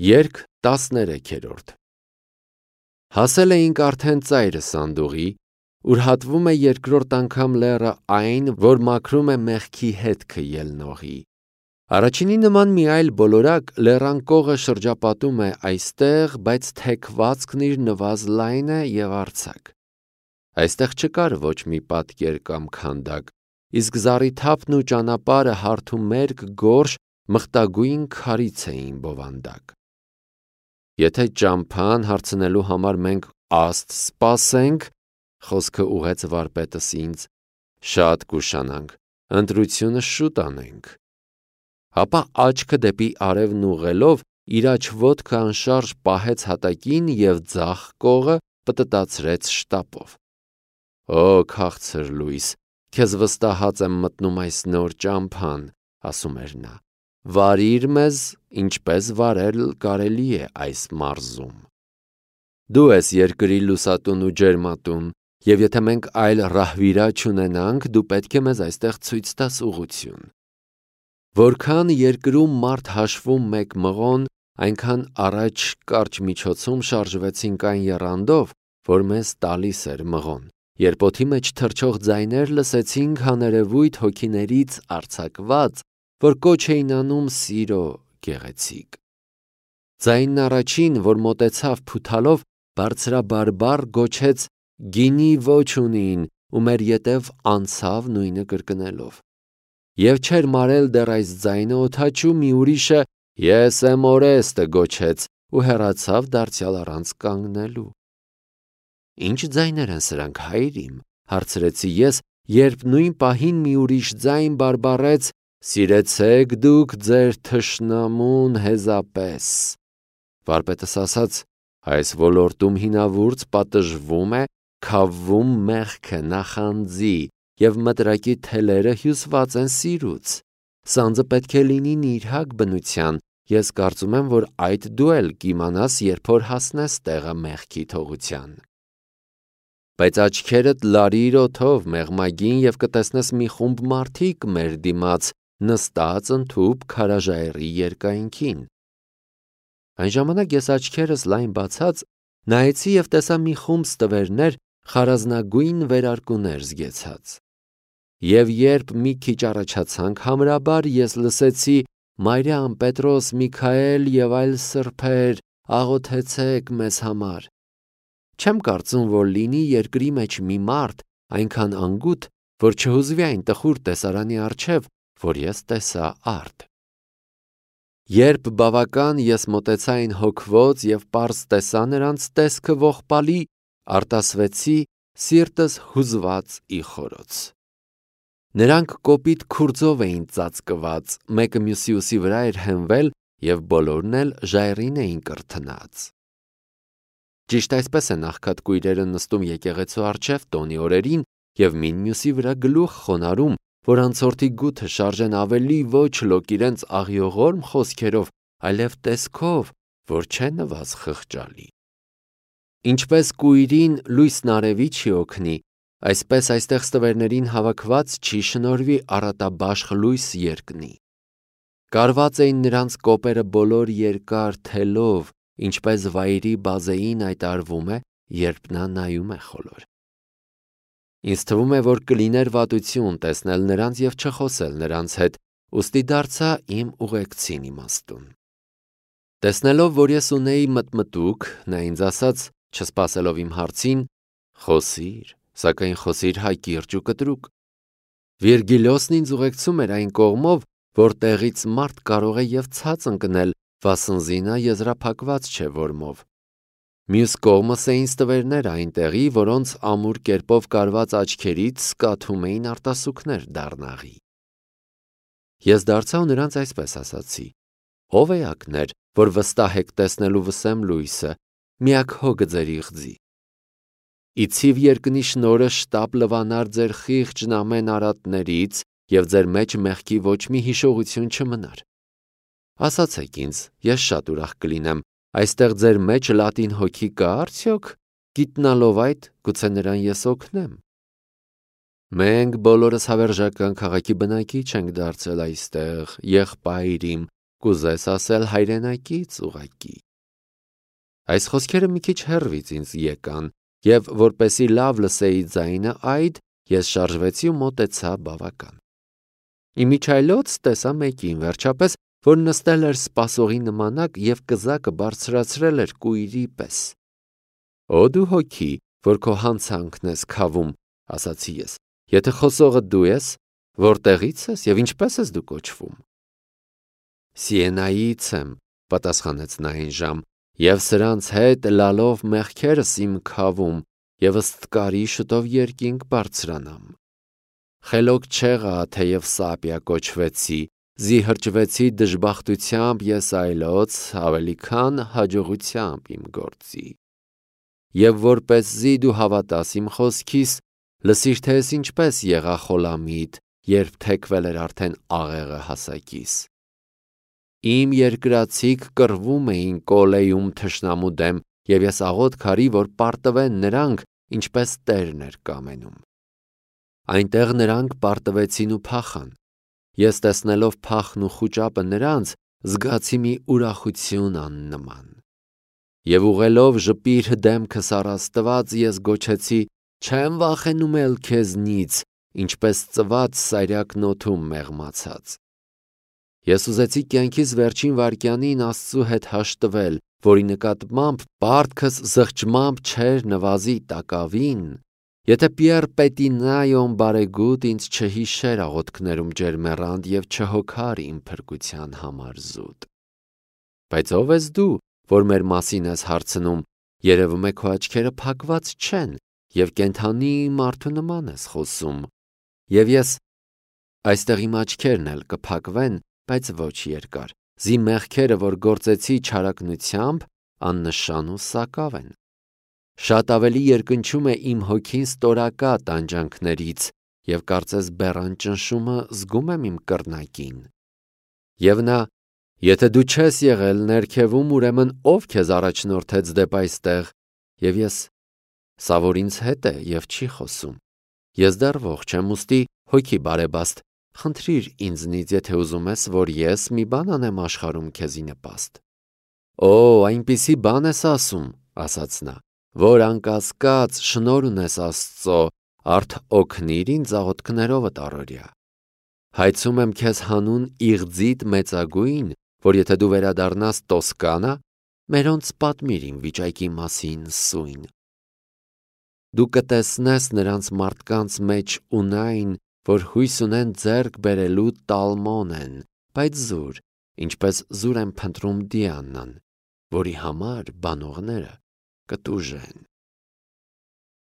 Երգ 13-րդ Հասել էինք արդեն ծայրը սանդուղի, ուր հատվում է երկրորդ անգամ լեռը այն, որ մաքրում է մեղքի հետքը ելնողի։ Առաջինի նման մի այլ բոլորակ լեռան կողը շրջապատում է այստեղ, բայց թեքվածքն իր նվազ լայն է և արձակ։ Այստեղ չկար ոչ մի պատկեր կամ քանդակ, իսկ զառիթափն ու ճանապարհը հարթումերկ գորշ մխտագույն քարից էին բովանդակ։ Եթե ճամփան հարցնելու համար մենք աստ սպասենք, խոսքը ուղեց վարպետս ինձ, շատ կուշանանք, ընտրությունը շուտ անենք։ Հապա աչքը դեպի արևն ուղղելով, իր աջ ոտքը անշարժ պահեց հատակին և ձախ կողը պտտացրեց շտապով։ Օ քաղցր լույս, քեզ վստահած եմ մտնում այս նոր ճամփան, ասում էր նա, վարիր մեզ, ինչպես վարել կարելի է այս մարզում։ Դու ես երկրի լուսատուն ու ջերմատուն, և եթե մենք այլ ռահվիրա չունենանք, դու պետք է մեզ այստեղ ցույց տաս ուղղություն։ Որքան երկրում մարդ հաշվում մեկ մղոն, այնքան առաջ կարճ միջոցում շարժվեցինք այն եռանդով, որ մեզ տալիս էր մղոն, երբ օդի մեջ թռչող ձայներ լսեցինք հաներևույթ հոգիներից արձակված, որ կոչ էին անում սիրո գեղեցիկ։ Ձայնն առաջին, որ մոտեցավ փութալով, բարձրաբարբառ գոչեց գինի ոչ ունին ու մեր ետև անցավ նույնը կրկնելով։ Եվ չէր մարել դեռ այս ձայնը օդաչու մի ուրիշը ես եմ Օրեստը գոչեց ու հեռացավ դարձյալ առանց կանգնելու։ Ինչ ձայներ են սրանք, հայր իմ, հարցրեցի ես, երբ նույն պահին մի ուրիշ ձայն բարբառեց սիրեցեք դուք ձեր թշնամուն հեզապես։ Վարպետս ասաց, այս ոլորտում հինավուրց պատժվում է, քավվում մեղքը նախանձի և մտրակի թելերը հյուսված են սիրուց։ Սանձը պետք է լինի նիրհակ բնության, ես կարծում եմ, որ այդ դու էլ կիմանաս, երբ որ հասնես տեղը մեղքի թողության։ Բայց աչքերդ լարիր օդով մեղմագին և կտեսնես մի խումբ մարդիկ մեր դիմաց նստած ընդհուպ քարաժայռի երկայնքին։ Այն ժամանակ ես աչքերս լայն բացած նայեցի և տեսա մի խումբ ստվերներ խարազնագույն վերարկուներ զգեցած։ Եվ երբ մի քիչ առաջացանք, համրաբար ես լսեցի Մարիամ, Պետրոս, Միքայել և այլ սրբեր, աղոթեցեք մեզ համար։ Չեմ կարծում, որ լինի երկրի մեջ մի մարդ այնքան անգութ, որ չհուզվի այն տխուր տեսարանի առջև, որ ես տեսա արդ։ Երբ բավական ես մոտեցա այն հոգվոց և պարզ տեսա նրանց տեսքը ողբալի, արտասվեցի, սիրտս հուզված ի խորոց։ Նրանք կոպիտ քուրձով էին ծածկված, մեկը մյուսի ուսի վրա էր հենվել և բոլորն էլ ժայռին էին կրթնած։ Ճիշտ այսպես են աղքատ կույրերը նստում եկեղեցու առջև տոնի օրերին և մին մյուսի վրա գլուխ խոնարհում, որ անցորդի գութը շարժեն ավելի ոչ լոկ իրենց աղիողորմ խոսքերով, այլև տեսքով, որ չէ նվազ խղճալի։ Ինչպես կույրին լույսն արևի չի օգնի, այսպես այստեղ ստվերներին հավաքված չի շնորհվի առատաբաշխ լույս երկնի։ Կարված էին նրանց կոպերը բոլոր երկար թելով, ինչպես վայրի բազեին այդ արվում է, երբ նա նայում է խոլոր։ Ինձ թվում է, որ կլիներ վատություն տեսնել նրանց և չխոսել նրանց հետ, ուստի դարձա իմ ուղեկցին իմաստուն։ Տեսնելով, որ ես ունեի մտմտուք, նա ինձ ասաց, չսպասելով իմ հարցին, խոսիր, սակայն խոսիր հակիրճ ու կտրուկ։ Վիրգիլիոսն ինձ ուղեկցում էր այն կողմով, որ տեղից մարդ կարող է և ցած ընկնել, վասնզի նա եզրափակված չէ որմով։ Մյուս կողմս էին ստվերներ այնտեղի, որոնց ամուր կերպով կարված աչքերից սկաթում էին արտասուքներ դառնաղի։ Ես դարձա ու նրանց այսպես ասացի. ով էակներ, որ վստահ եք տեսնելու վսեմ լույսը, միակ հոգը ձեր իղձի։ Իցիվ երկնի շնորհը շտապ լվանար ձեր խիղճն ամեն արատներից և ձեր մեջ մեղքի ոչ մի հիշողություն չմնար։ Ասացեք ինձ, ես շատ ուրախ կլինեմ, այստեղ ձեր մեջ լատին հոգի կա արդյոք, գիտնալով այդ, գուցե նրան ես օգնեմ։ Մենք բոլորս հավերժական քաղաքի բնակիչ ենք դարձել այստեղ, եղբայր իմ, կուզես ասել հայրենակից ուղղակի։ Այս խոսքերը մի քիչ հեռվից ինձ եկան, եւ որպեսի լավ լսեի ձայնը այդ, ես շարժվեցի ու մոտեցա բավական։ Իմիջայլոց տեսա մեկին, վերջապես, որ նստել էր սպասողի նմանակ եւ կզակը բարձրացրել էր կույրի պես։ Օ դու հոգի, որ քո հանցանքն ես քավում, ասացի ես, եթե խոսողը դու ես, որտեղից ես եւ ինչպես ես դու կոչվում։ Սիենայից եմ, պատասխանեց նա այն ժամ, եւ սրանց հետ լալով մեղքերս իմ քավում եւ ըստ շուտով երկինք բարձրանամ։ Խելոք չեղա, թեև Սապիա կոչվեցի, զիհրջվեցի դժբախտությամբ ես այլոց, ավելի քան հաջողությամբ իմ գործի։ Եվ որպեսզի դու հավատաս իմ խոսքիս, լսիր թե ես ինչպես եղա խոլամիտ, երբ թեքվել էր արդեն աղեղը հասակիս։ Իմ երկրացիք կռվում էին Կոլեյում թշնամու դեմ, եւ ես աղոտ քարի, որ պարտվեն նրանք, ինչպես Տերն էր կամենում։ Այնտեղ նրանք պարտվեցին ու փախան։ Ես տեսնելով փախն ու խուճապը նրանց, զգացի մի ուրախություն աննման։ Եվ ուղելով ժպիր դեմքս առ Աստված, ես գոչեցի. չեմ վախենում էլ քեզնից, ինչպես ծված սայրակն օդում մեղմացած։ Ես ուզեցի կյանքիս վերջին վայրկյանին Աստծու հետ հաշտվել, որի նկատմամբ պարտքս զղջմամբ չէր նվազի տակավին, եթե Պիեր Պետինայոն բարեգութ ինձ չհիշեր աղոթքներում ջերմեռանդ եւ չհոգար իմ փրկության համար զուտ։ Բայց ով ես դու, որ մեր մասին ես հարցնում, երևում է քո աչքերը փակված չեն եւ կենդանի մարդու նման ես խոսում։ Եվ ես այստեղ իմ աչքերն էլ կփակվեն, բայց ոչ երկար։ Զի մեղքերը, որ գործեցի չարակնությամբ, աննշան ու սակավ են։ Շատ ավելի երկնչում է իմ հոգին ստորակա տանջանքներից եւ կարծես բեռան ճնշումը զգում եմ իմ կռնակին։ Եվ նա, եթե դու չես եղել ներքևում, ուրեմն ով քեզ առաջնորդեց դեպ այստեղ, եւ ես, սա որ ինձ հետ է եւ չի խոսում։ Ես դեռ ողջ եմ, ուստի հոգի բարեբաստ, խնդրիր ինձնից, եթե ուզում ես, որ ես մի բան անեմ աշխարհում քեզի նպաստ։ Օ, այնպիսի բան ես ասում, ասաց նա, որ անկասկած շնորհ ունես Աստծո, արդ օգնիր ինձ աղոթքներովդ առօրյա։ Հայցում եմ քեզ հանուն իղձիդ մեծագույն, որ եթե դու վերադառնաս Տոսկանա, մերոնց պատմիր իմ վիճակի մասին սույն։ Դու կտեսնես նրանց մարդկանց մեջ ունայն, որ հույս ունեն ձեռք բերելու Տալմոնեն, բայց զուր, ինչպես զուր են փնտրում Դիանան, որի համար բանողները կտուժեն։